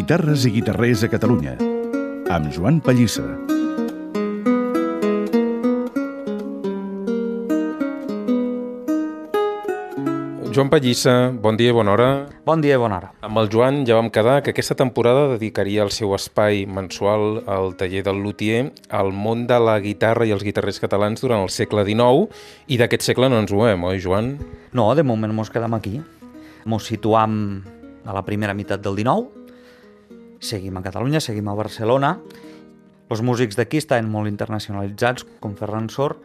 Guitarres i guitarrers a Catalunya, amb Joan Pallissa. Joan Pallissa, bon dia i bona hora. Bon dia i bona hora. Amb el Joan ja vam quedar que aquesta temporada dedicaria el seu espai mensual al taller del luthier al món de la guitarra i els guitarrers catalans durant el segle XIX, i d'aquest segle no ens ho hem, oi, Joan? No, de moment mos quedam aquí. Mos situam a la primera meitat del XIX, seguim a Catalunya, seguim a Barcelona. Els músics d'aquí estaven molt internacionalitzats, com Ferran Sor,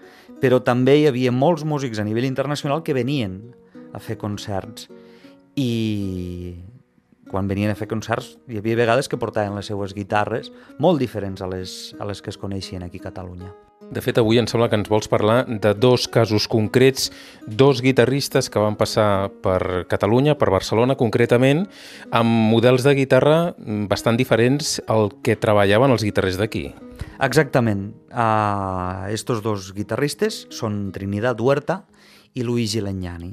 però també hi havia molts músics a nivell internacional que venien a fer concerts, i quan venien a fer concerts hi havia vegades que portaven les seues guitarres molt diferents a les que es coneixien aquí a Catalunya. De fet, avui em sembla que ens vols parlar de dos casos concrets, dos guitarristes que van passar per Catalunya, per Barcelona concretament, amb models de guitarra bastant diferents al que treballaven els guitarrers d'aquí. Exactament. Estos dos guitarristes són Trinidad Huerta i Luigi Legnani.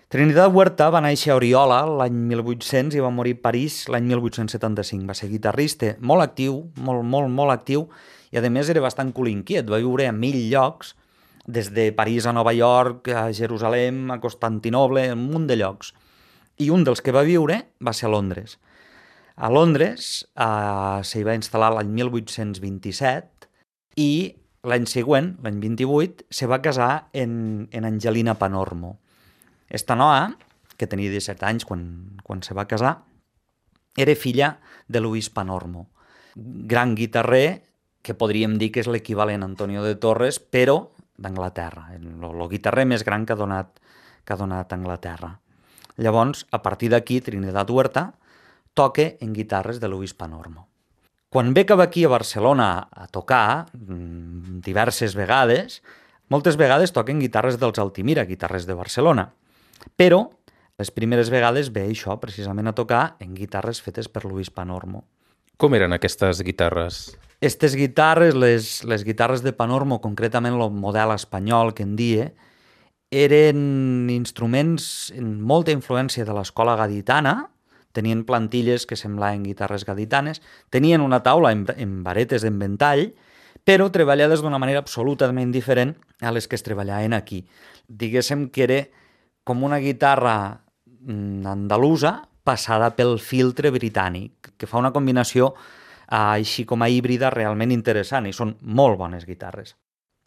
Trinidad Huerta va néixer a Oriola l'any 1800 i va morir a París l'any 1875. Va ser guitarrista molt actiu, molt actiu, i a més era bastant cul-inquiet. Va viure a 1000 llocs, des de París a Nova York, a Jerusalem, a Constantinoble, un munt de llocs. I un dels que va viure va ser a Londres. A Londres s'hi va instal·lar l'any 1827 i l'any següent, l'any 28, se va casar en Angelina Panormo. Esta noia, que tenia 17 anys quan se va casar, era filla de Luis Panormo, gran guitarrer que podríem dir que és l'equivalent a Antonio de Torres, però d'Anglaterra, el guitarrer més gran que ha donat Anglaterra. Llavors, a partir d'aquí, Trinidad Huerta toca en guitarres de Luis Panormo. Quan ve cap aquí a Barcelona a tocar, diverses vegades, moltes vegades toquen guitarres dels Altimira, guitarres de Barcelona, però les primeres vegades ve això, precisament a tocar en guitarres fetes per Luis Panormo. Com eren aquestes guitarres? Aquestes guitarres, les guitarres de Panormo, concretament el model espanyol que en die, eren instruments amb molta influència de l'escola gaditana, tenien plantilles que semblaven guitarres gaditanes, tenien una taula amb varetes en ventall, però treballades d'una manera absolutament diferent a les que es treballaven aquí. Diguéssim que era com una guitarra andalusa passada pel filtre britànic, que fa una combinació així com a híbrida realment interessant, i són molt bones guitarres.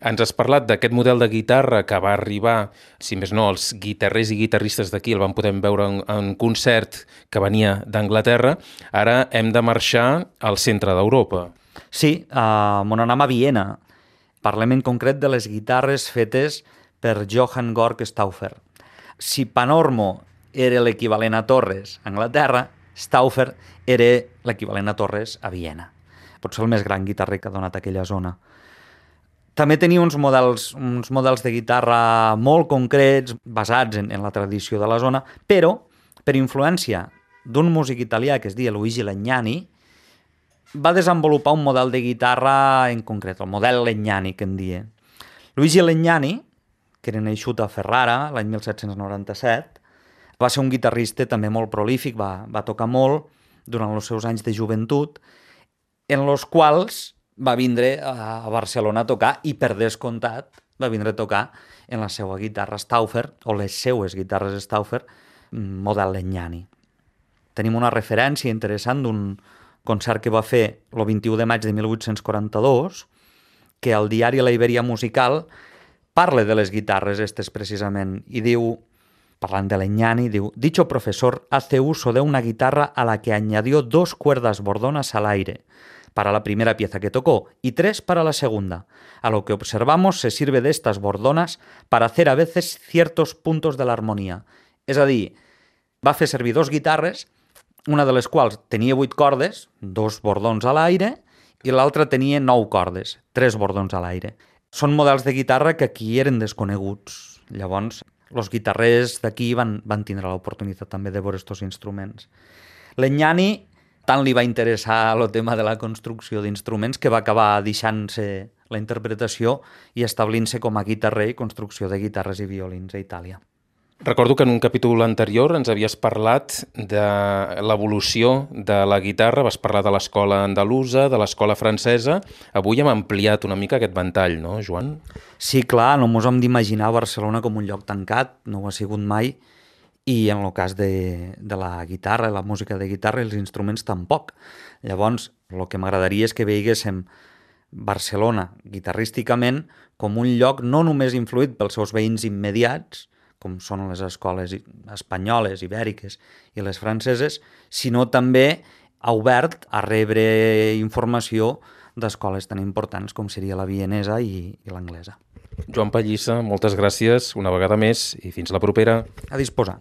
Ens has parlat d'aquest model de guitarra que va arribar, si més no, els guitarrers i guitarristes d'aquí el van poder veure en concert que venia d'Anglaterra. Ara hem de marxar al centre d'Europa. Sí, on anem a Viena. Parlem en concret de les guitarres fetes per Johann Georg Stauffer. Si Panormo era l'equivalent a Torres a Anglaterra, Stauffer era l'equivalent a Torres a Viena. Potser el més gran guitarrer que ha donat aquella zona. També tenia uns models de guitarra molt concrets, basats en la tradició de la zona, però, per influència d'un músic italià que es deia Luigi Legnani, va desenvolupar un model de guitarra en concret, el model Legnani, que en dia. Luigi Legnani, que era nascut a Ferrara l'any 1797, va ser un guitarrista també molt prolífic, va tocar molt durant els seus anys de joventut, en els quals va vindre a Barcelona a tocar, i per descomptat va vindre a tocar en la seva guitarra Stauffer, o les seues guitarres Stauffer, model Legnani. Tenim una referència interessant d'un concert que va fer el 21 de maig de 1842, que al diari La Iberia Musical parla de les guitarres estes precisament, i diu, parlant de Legnani, diu: «Dicho profesor hace uso de una guitarra a la que añadió 2 cuerdas bordonas al aire para la primera pieza que tocó y 3 para la segunda. A lo que observamos se sirve de estas bordonas para hacer a veces ciertos puntos de la armonía». És a dir, va fer servir 2 guitarres, una de les quals tenia 8 cordes, 2 bordons a l'aire, i l'altra tenia 9 cordes, 3 bordons a l'aire. Són models de guitarra que aquí eren desconeguts. Llavors, els guitarrers d'aquí van tindre l'oportunitat també de veure aquests instruments. Legnani tant li va interessar el tema de la construcció d'instruments que va acabar deixant-se la interpretació i establint-se com a guitarrer i construcció de guitarres i violins a Itàlia. Recordo que en un capítol anterior ens havies parlat de l'evolució de la guitarra, vas parlar de l'escola andalusa, de l'escola francesa. Avui hem ampliat una mica aquest ventall, no, Joan? Sí, clar, no mos hem d'imaginar Barcelona com un lloc tancat, no ho ha sigut mai, i en el cas de la guitarra, la música de guitarra i els instruments tampoc. Llavors, el que m'agradaria és que veiguéssim Barcelona, guitarrísticament, com un lloc no només influït pels seus veïns immediats, com són les escoles espanyoles, ibèriques i les franceses, sinó també obert a rebre informació d'escoles tan importants com seria la vienesa i l'anglesa. Joan Pallissa, moltes gràcies una vegada més i fins la propera. A disposar.